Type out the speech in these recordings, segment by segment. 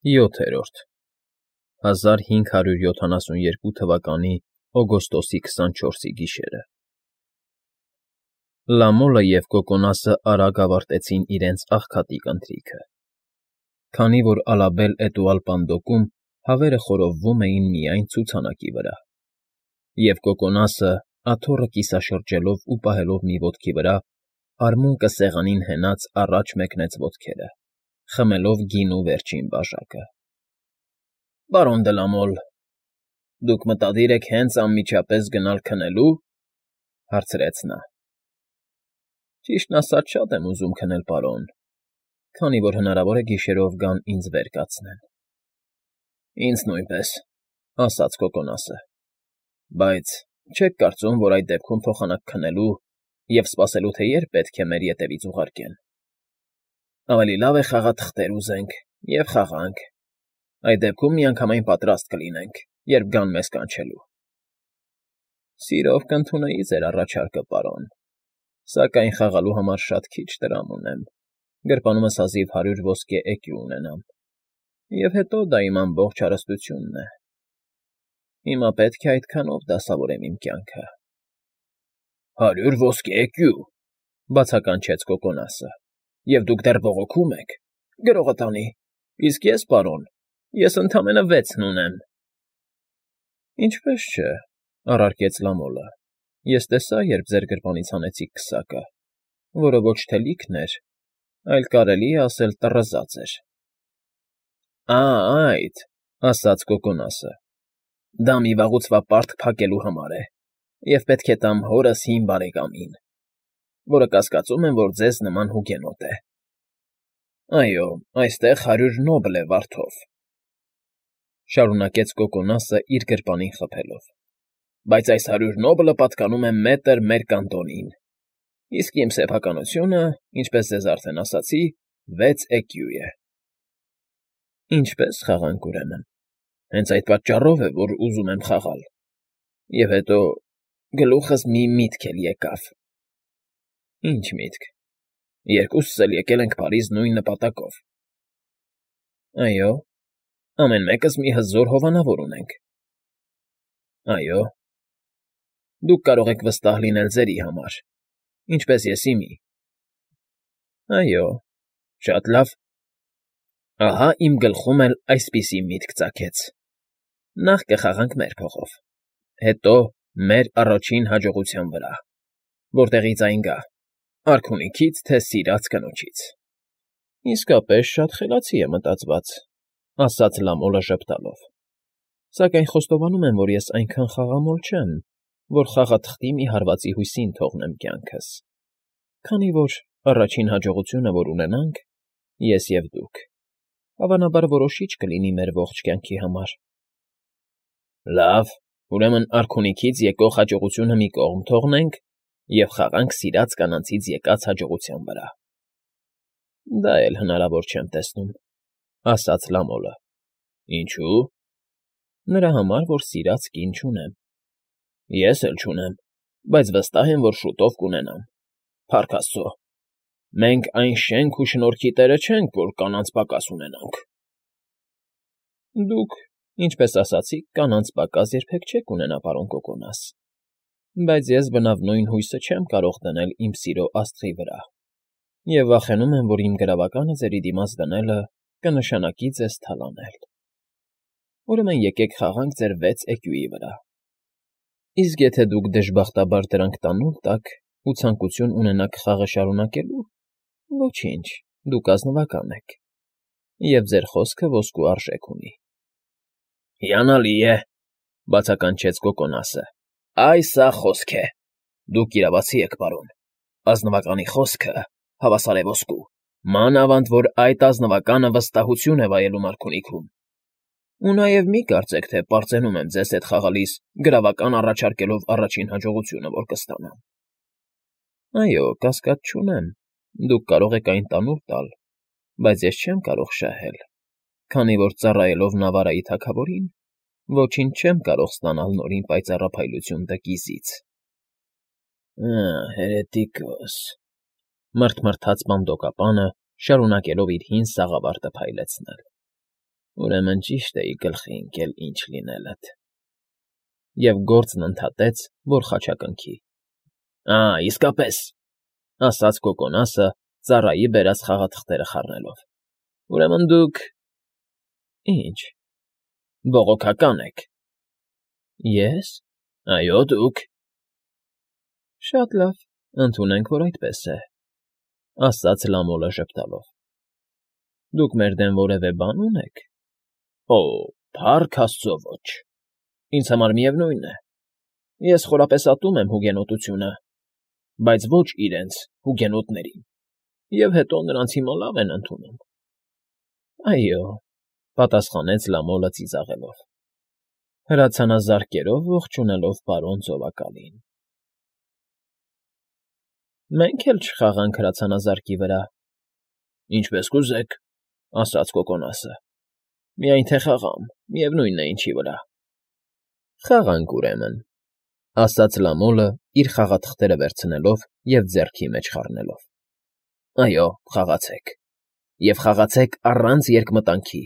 7-րդ 1572 թվականի օգոստոսի 24-ի գիշերը Լամոլը և Կոկոնասը արագ ավարտեցին իրենց աղքատիկ ընթրիքը, քանի որ Ալաբել֊էտուալպանդոկում հավերը խորովվում էին միայն ցուցանակի վրա, և Կոկոնասը, աթոռը կիսաշրջելով ու պահելով մի ոտքի վրա, արմունկը սեղանին հենած առաջ մեկնեց ոտքերը, խմելով գինու վերջին բաժակը։ ֊ Պարոն դե Լամոլ, դուք մտադիր եք հենց անմիջապես գնալ քնելու,֊ հարցրեց նա։ ֊ Ճիշտն ասած, շատ եմ ուզում քնել, պարոն, քանի որ հնարավոր է գիշերով գան ինձ վեր կացնեն։ ֊ Ինձ նույնպես,֊ ասաց Կոկոնասը,֊ բայց չեք կարծում, որ այդ դեպքում փոխանակ քնելու և սպասելու, թե երբ պետք է մեր ետևից ուղարկեն։ Ավելի լավ է խաղաթղթեր ուզենք և խաղանք, այդ դեպքում միանգամայն պատրաստ կլինենք, երբ գան մեզ կանչելու։ ֊ Սիրով կընդունեի ձեր առաջարկը, պարոն, սակայն խաղալու համար շատ քիչ տրամ ունեմ, գրպանումս հազիվ 100 ոսկե էկյու ունենամ, և հետո դա իմ ամբողջ հարստությունն է։ Հիմա պետք է այդքանով դասավորեմ իմ կյանքը։ ֊ 100 ոսկե էկյու,֊ բացականչեց Կոկոնասը,֊ և դուք դեռ բողոքում եք։ Գրողը տանի, իսկ ես, պարոն, ես ընդամենը 6-ն ունեմ։ ֊ Ինչպես չէ,֊ առարկեց Լամոլը,֊ ես տեսա, երբ ձեր գրպանից հանեցիք քսակը, որը ոչ թե լիքն էր, այլ կարելի է ասել տռզած էր։ ֊ Այդ,֊ ասաց Կոկոնասը,֊ դա մի վաղուց պարտք փակելու համար է, և պետք է տամ հորս հին բարեկամին, որը կասկածում եմ, որ ձեզ նման հուգենոտ է։ Այո, այստեղ 100 նոբլ է վարդով,֊ շարունակեց Կոկոնասը իր գրպանին խփելով,֊ բայց այս 100 նոբլը պատկանում է մետր մեր կանտոնին, իսկ իմ սեփականությունը, ինչպես ձեզ արդեն ասացի, 6 էկյու է։ ֊ Ինչպե՞ս խաղանք, ուրեմն, հենց այդ պատճառով է, որ ուզում եմ խաղալ, և հետո գլուխս մի միտք էլ եկավ։ ֊ Ի՞նչ միտք։ ֊ Երկուսս էլ եկել ենք Փարիզ նույն նպատակով։ ֊ Այո՞։ Ամեն մեկս մի հզոր հովանավոր ունենք։ ֊ Այո։ ֊ Դուք կարող եք վստահ լինել ձերի համար, ինչպես ես իմի։ ֊ Այո։ ֊ Շատ լավ։ Ահա իմ գլխում էլ այսպիսի միտք ծագեց. նախ կխաղանք մեր փողով, հետո մեր առաջին հաջողության վրա, որտեղից այն գա՝ արքունիքից, թե սիրած կնոջից։ ֊ Իսկապես շատ խելացի է մտածված,֊ ասաց Լամոլը ժպտալով,֊ սակայն խոստովանում եմ, որ ես այնքան խաղամոլ չեմ, որ խաղաթղթի մի հարվածի հույսին թողնեմ կյանքս, քանի որ առաջին հաջողությունը, որ ունենանք, ես և դուք, հավանաբար որոշիչ կլինի մեր ողջ կյանքի համար։ ֊ Լավ, ուրեմն արքունիքից եկող հաջողությունը մի կողմ թողնենք և խաղանք սիրած կանանցից եկած հաջողության վրա։ ֊ Դա էլ հնարավոր չեմ տեսնում,֊ ասաց Լամոլը։ ֊ Ինչո՞ւ։ ֊ Նրա համար, որ սիրած կին չունեմ։ ֊ Ես էլ չունեմ, բայց վստահ եմ, որ շուտով կունենամ, փառք աստծո, մենք այն շենք ու շնորհքի տերը չենք, որ կանանց պակաս ունենանք։ ֊ Դուք, ինչպես ասացիք, կանանց պակաս երբեք չեք ունենա, պարոն Կոկոնաս, բայց ես բնավ նույն հույսը չեմ կարող դնել իմ սիրո աստղի վրա, և վախենում եմ, որ իմ գրավականը ձերի դիմաց դնելը կնշանակի ձեզ թալանել։ Ուրեմն եկեք խաղանք ձեր 6 էկյուի վրա, իսկ եթե դուք դժբախտաբար դրանք տանուլ տաք ու ցանկություն ունենաք խաղը շարունակելու, ոչինչ, դուք ազնվական եք, և ձեր խոսքը ոսկու արժեք ունի։ ֊ Հիանալի է,֊ բացականչեց Կոկոնասը,֊ այ սա խոսք է։ Դուք իրավացի եք, պարոն, ազնվականի խոսքը հավասար է ոսկու, մանավանդ որ այդ ազնվականը վստահություն է վայելում արքունիքում։ Ու նաև մի կարծեք, թե պարծենում եմ ձեզ հետ խաղալիս գրավական առաջարկելով առաջին հաջողությունը, որ կստանամ։ Այո, կասկած չունեմ, դուք կարող եք այն տանուլ տալ, բայց ես չեմ կարող շահել, քանի որ ծառայելով Նավարայի թագավորին, ոչինչ չեմ կարող ստանալ նորին պայծառափայլություն տկիզից։ ֊ Հերետիկոս,֊ մռթմռթաց բանդոկապանը, շարունակելով իր հին սաղավարտը փայլեցնել։ Ուրեմն ճիշտ էի գլխի ընկել ինչ լինելդ։ Եվ գործն ընդհատեց, որ խաչակնքի։ Իսկապես, ասաց Կոկոնասը, ծառայի բերած խաղաթղթերը խառնելով։ Ուրեմն դուք… Ինչ… Բողոքական եք։ Ես… Այո, դուք… Շատ լավ, ընդունենք, որ այդպես է, ասաց Լամոլը ժպտալով։ Դուք մեր դեմ որևէ բան ունեք։ Փառք աստծո, ոչ… Ինձ համար միևնույն է։ Ես խորապես ատում եմ հուգենոտությունը, բայց ոչ իրենց՝ հուգենոտներին, և հետո նրանց հիմա լավ են ընդունում։ Այո, պատասխանեց Լամոլը ծիծաղելով, հրացանազարկերով ողջունելով պարոն ծովակալին։ Մենք էլ չխաղանք հրացանազարկի վրա։ Ինչպես կուզեք, ասաց Կոկոնասը։ Միայն թե խաղամ, միևնույն է ինչի վրա։ Խաղանք, ուրեմն, ասաց Լամոլը, իր խաղաթղթերը վերցնելով և ձեռքի մեջ խառնելով։ Այո, խաղացեք։ Եվ խաղացեք առանց երկմտանքի,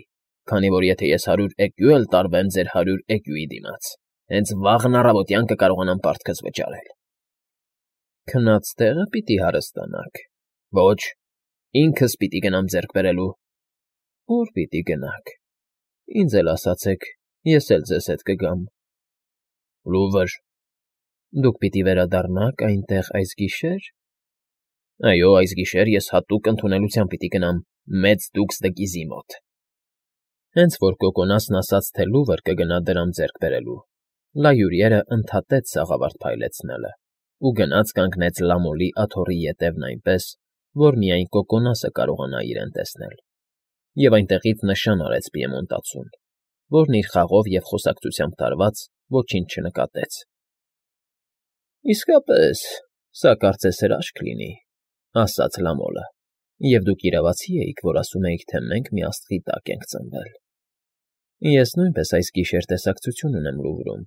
քանի որ եթե ես 100 էկյու էլ տարվեմ ձեր 100 էկյուի դիմաց, հենց վաղն առավոտյան կկարողանամ պարտքս վճարել։ Քնած տեղը պիտի հարստանաք։ Ոչ, ինքս պիտի գնամ ձեռք բերելու։ Ո՞ւր պիտի գնաք։ Ինձ էլ ասացեք, ես էլ ձեզ հետ կգամ։ Լուվր։ Դուք պիտի վերադառնաք այնտեղ այս գիշե՞ր։ Այո, այս գիշեր ես հատուկ ընդունելությամբ պիտի գնամ մեծ դուքս դկիզի մոտ։ Հենց որ Կոկոնասն ասաց, թե լուվր կգնա դրամ ձեռք բերելու, լայուրիերը ընդհատեց սաղավարտ փայլեցնելը ու գնաց կանգնեց Լամոլի աթոռի ետևն այնպես, որ միայն Կոկոնասը կարողանա իրեն տեսնել, և այնտեղից նշան արեց պիեմոնտացուն, որն իր խաղով և խոսակցությամբ տարված ոչինչ չնկատեց։ Իսկապես, սա կարծես հրաշք լինի, ասաց Լամոլը, և դուք իրավացի էիք, որ ասում էիք, թե մենք մի աստղի տակ ենք ծնվել։ Ես նույնպես այս գիշեր տեսակցություն ունեմ Լուվրում,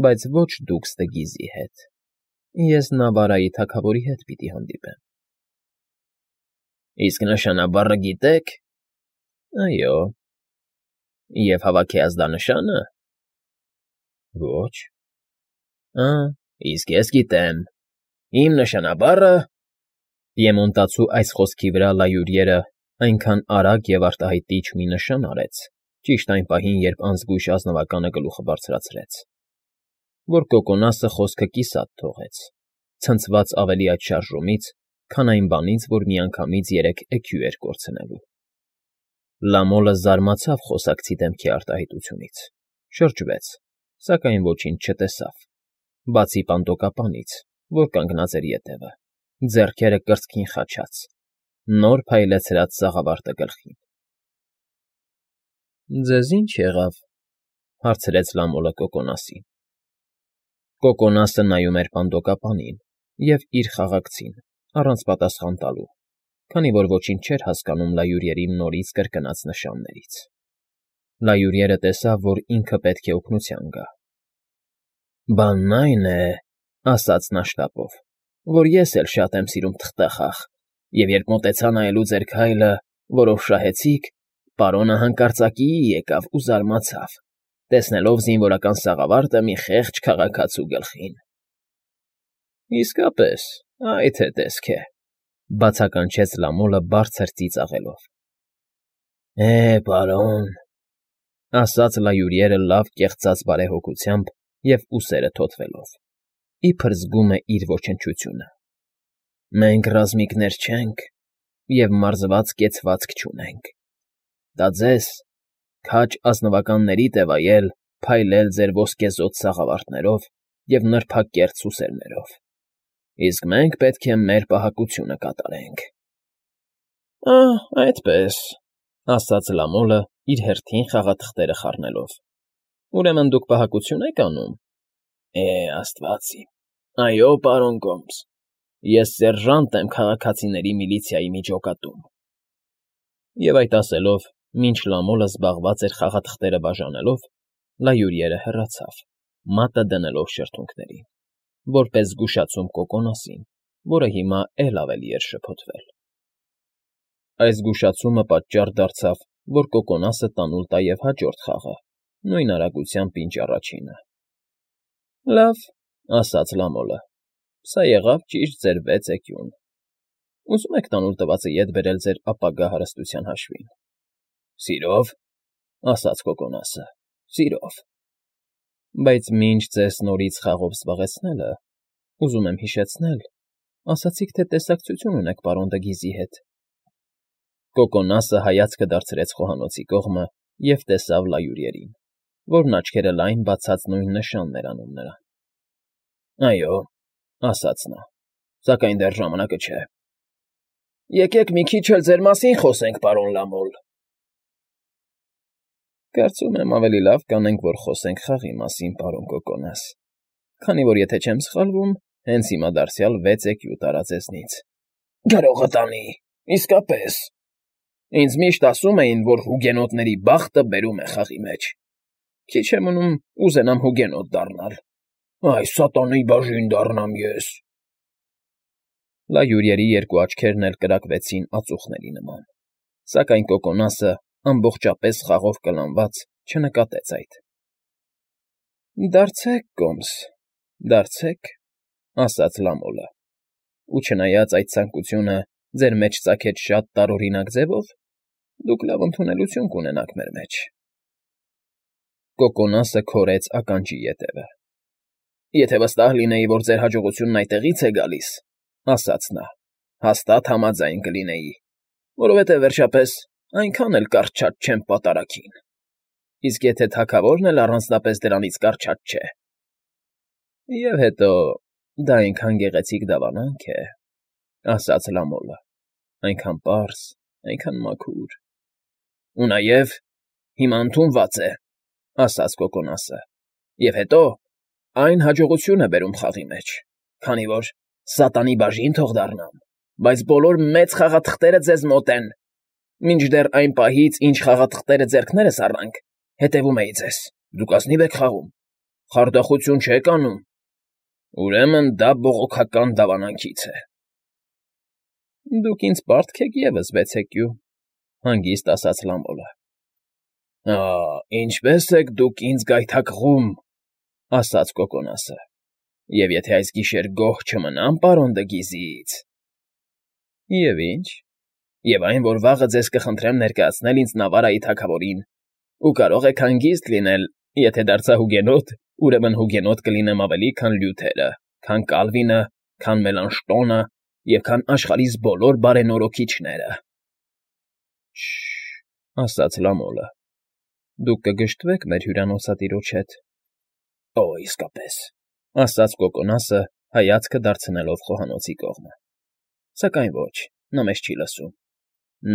բայց ոչ դուքս Դգիզի հետ։ Ես Նավարայի թագավորի հետ պիտի հանդիպեմ։ Իսկ նշանաբառը գիտեք։ Այո։ Եվ հավաքի ազդանշանը։ Ոչ։ Իսկ ես գիտեմ։ Իմ նշանաբառը… Պիեմոնտացու այս խոսքի վրա լայուրիերը այնքան արագ և արտահայտիչ մի նշան արեց, ճիշտ այն պահին, երբ անզգույշ ազնվականը գլուխը բարձրացրեց, որ Կոկոնասը խոսքը կիսատ թողեց, ցնցված ավելի այդ շարժումից, քան այն բանից, որ միանգամից 3 էքյու էր կորցնելու։ Լամոլը զարմացավ խոսակցի դեմքի արտահայտությունից, շրջվեց, սակայն ոչինչ չտեսավ, բացի պանտոկապանից, որ կանգնած էր ետևը, ձեռքերը կրծքին խաչած, նոր փայլեցրած սաղավարտը գլխին։ Ձեզ ի՞նչ եղավ, հարցրեց Լամոլը Կոկոնասին։ Կոկոնասը նայում էր պանտոկապանին և իր խաղակցին, առանց պատասխան տալու, քանի որ ոչինչ չէր հասկանում լայուրիերի նորից կրկնած նշաններից։ Լայուրիերը տեսավ, որ ինքը պետք է օգնության գա։ Բանն այն է, ասաց նա շտապով, որ ես էլ շատ եմ սիրում թղթախաղ, և երբ մոտեցա նայելու ձեր քայլը, որով շահեցիք, պարոնը հանկարծակիի եկավ ու զարմացավ, տեսնելով զինվորական սաղավարտը մի խեղճ քաղաքացու գլխին։ Իսկապես, այդ է տեսք է, բացականչեց Լամոլը բարձր ծիծաղելով։ Պարոն, ասաց լայուրիերը լավ կեղծած բարեհոգությամբ և ուսերը թոթվելով, իբր զգում է իր ոչնչությունը։ Մենք ռազմիկներ չենք և մարզված կեցվածք չունենք։ Դա ձեզ, քաջ ազնվականներիդ է վայել փայլել ձեր ոսկեզօծ սաղավարտներով և նրբակերտ սուսերներով, իսկ մենք պետք է մեր պահակությունը կատարենք։ Այդպես, ասաց Լամոլը, իր հերթին խաղաթղթերը խառնելով։ Ուրեմն դուք պահակություն եք անում։ Աստված իմ, այո, պարոն Գոմս, ես սերժանտ եմ քաղաքացիների միլիցիայի միջոկատում։ Եվ այդ ասելով, մինչ Լամոլը զբաղված էր խաղաթղթերը բաժանելով, լայուրիերը հեռացավ, մատը դնելով շրթունքներին, որպես զգուշացում Կոկոնասին, որը հիմա էլ ավելի էր շփոթվել։ Այս զգուշացումը պատճառ դարձավ, որ Կոկոնասը տանուլ տա և հաջորդ խաղը, նույն արագությամբ, ինչ առաջինը։ ֊ Լավ,֊ ասաց Լամոլը,֊ սա եղավ ճիշտ ձեր 6 էկյուն. ուզում եք տանուլ տվածը ետ բերել ձեր ապագա հարստության հաշվին։ ֊ Սիրով,֊ ասաց Կոկոնասը,֊ սիրով։ ֊ Բայց մինչ ձեզ նորից խաղով զբաղեցնելը, ուզում եմ հիշեցնել, ասացիք, թե տեսակցություն ունեք պարոն Դգիզի հետ։ Կոկոնասը հայացքը դարձրեց խոհանոցի կողմը և տեսավ Լայուրիերին, որն աչքերը լայն բացած նույն նշանն էր անում նրան։ ֊ Այո,֊ ասաց նա,֊ սակայն դեռ ժամանակը չէ։ ֊ Եկեք մի քիչ էլ ձեր մասին խոսենք, պարոն Լամոլ։ ֊ Կարծում եմ, ավելի լավ կանենք, որ խոսենք խաղի մասին, պարոն Կոկոնաս, քանի որ, եթե չեմ սխալվում, հենց հիմա դարձյալ 6 էկյու տարա ձեզնից։ ֊ Գրողը տանի, իսկապես… Ինձ միշտ ասում էին, որ հուգենոտների բախտը բերում է խաղի մեջ։ Քիչ է մնում ուզենամ հուգենոտ դառնալ։ Այ սատանայի բաժին դառնամ ես… Լայուրիերի երկու աչքերն էլ կրակվեցին ածուխների նման, սակայն Կոկոնասը, ամբողջապես խաղով կլանված, չնկատեց այդ։ ֊ Դարձեք կոմս, դարձեք,֊ ասաց Լամոլը,֊ ու չնայած այդ ցանկությունը ձեր մեջ ծագեց շատ տարօրինակ ձևով, դուք լավ ընդունելություն կունենաք մեր մեջ։ Կոկոնասը քորեց ականջի ետևը։ ֊ Եթե վստահ լինեի, որ ձեր հաջողությունն այդտեղից է գալիս,֊ ասաց նա,֊ հաստատ համաձայն կլինեի, որովհետև, վերջապես, այնքան էլ կառչած չեմ պատարագին։ Իսկ եթե թագավորն էլ առանձնապես դրանից կառչած չէ… Եվ հետո դա այնքան գեղեցիկ դավանանք է,֊ ասաց Լամոլը,֊ այնքան պարզ, այնքան մաքուր… ֊ Ու նաև հիմա ընդունված է,֊ ասաց Կոկոնասը,֊ և հետո այն հաջողություն է բերում խաղի մեջ, քանի որ սատանի բաժին թող դառնամ, բայց բոլոր մեծ խաղաթղթերը ձեզ մոտ են… Մինչդեռ այն պահից, ինչ խաղաթղթերը ձեռքներս առանք, հետևում էի ձեզ, դուք ազնիվ եք խաղում, խարդախություն չեք անում… Ուրեմն դա բողոքական դավանանքից է… ֊ Դուք ինձ պարտք եք ևս 6 էկյու,֊ հանգիստ ասաց Լամոլը։ ֊ Ա՜, ինչպես եք դուք ինձ գայթակղում,֊ ասաց Կոկոնասը,֊ և եթե այս գիշեր գոհ չմնամ պարոն Դգիզից… ֊ Եվ ինչ… Եվ այն, որ վաղը ձեզ կխնդրեմ ներկայացնել ինձ Նավարայի թագավորին, ու կարող եք հանգիստ լինել, եթե դարձա հուգենոտ, ուրեմն հուգենոտ կլինեմ ավելի, քան Լյութերը, քան Կալվինը, քան Մելանշտոնը և քան աշխարհիս բոլոր բարենորոքիչները… ֊ Շ֊շ֊շ,֊ ասաց Լամոլը,֊ դուք կգժտվեք մեր հյուրանոցատիրոջ հետ… ֊ Օ, իսկապես,֊ ասաց Կոկոնասը, հայացքը դարձնելով խոհանոցի կողմը,֊ սակայն ոչ, նա մեզ չի լսում…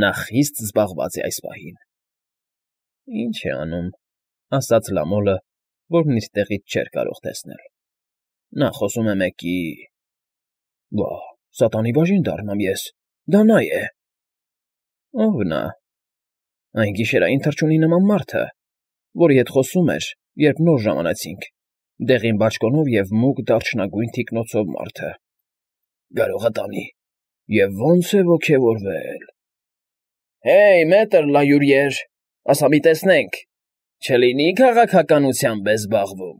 Նա խիստ զբաղված է այս պահին… ֊ Ինչ է անում,֊ ասաց Լամոլը, որն իր տեղից չէր կարող տեսնել,֊ նա խոսում է մեկի… Վա՜, սատանի բաժին դառնամ ես… Դա նա է… ֊ Ո՞վ նա։ ֊ Այն գիշերային թռչունի նման մարդը, որի հետ խոսում էր, երբ նոր ժամանեցինք, դեղին բաճկոնով և մուգ դարչնագույն թիկնոցով մարդը… Գրողը տանի… Եվ ո՜նց է ոգևորվել… ֊ Հեյ, մետր Լայուրիեր, ասա մի տեսնենք, չլինի՞ քաղաքականությամբ է զբաղվում…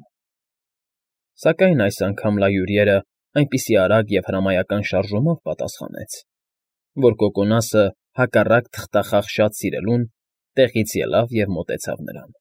Սակայն այս անգամ Լայուրիերը այնպիսի արագ և հրամայական շարժումով պատասխանեց, որ Կոկոնասը, հակառակ թղթախաղ շատ սիրելուն, տեղից ելավ և մոտեցավ նրան։